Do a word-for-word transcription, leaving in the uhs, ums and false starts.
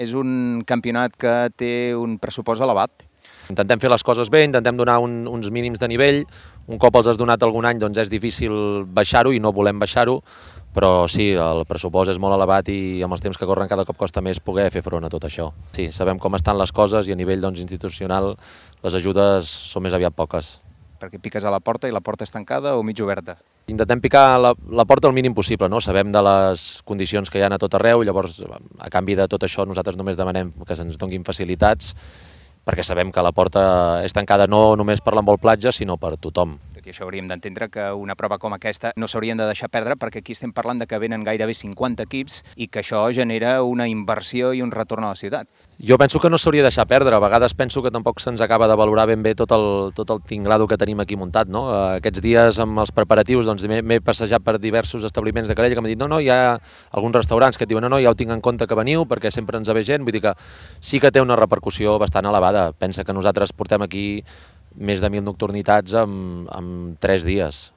És un campionat que té un pressupost elevat. Intentem fer les coses bé, intentem donar un, uns mínims de nivell. Un cop els has donat algun any, doncs és difícil baixar-ho i no volem baixar-ho, però sí, el pressupost és molt elevat i amb els temps que corren cada cop costa més poder fer front a tot això. Sí, sabem com estan les coses i a nivell doncs, institucional les ajudes són més aviat poques. Perquè piques a la porta i la porta és tancada o mig oberta? Intentem picar la, la porta el mínim possible, no? Sabem de les condicions que hi ha a tot arreu, llavors a canvi de tot això nosaltres només demanem que se'ns donguin facilitats perquè sabem que la porta és tancada no només per l'envol platja, sinó per tothom. Tot i això hauríem d'entendre que una prova com aquesta no s'haurien de deixar perdre perquè aquí estem parlant de que venen gairebé cinquanta equips i que això genera una inversió i un retorn a la ciutat. Jo penso que no s'hauria de deixar perdre, a vegades penso que tampoc se'ns acaba de valorar ben bé tot el, tot el tinglado que tenim aquí muntat, no? Aquests dies amb els preparatius doncs, m'he passejat per diversos establiments de Calella que m'han dit no, no, hi ha alguns restaurants que et diuen no, no, ja ho tinc en compte que veniu perquè sempre ens ve gent, vull dir que sí que té una repercussió bastant elevada. Pensa que nosaltres portem aquí més de mil nocturnitats en, en tres dies.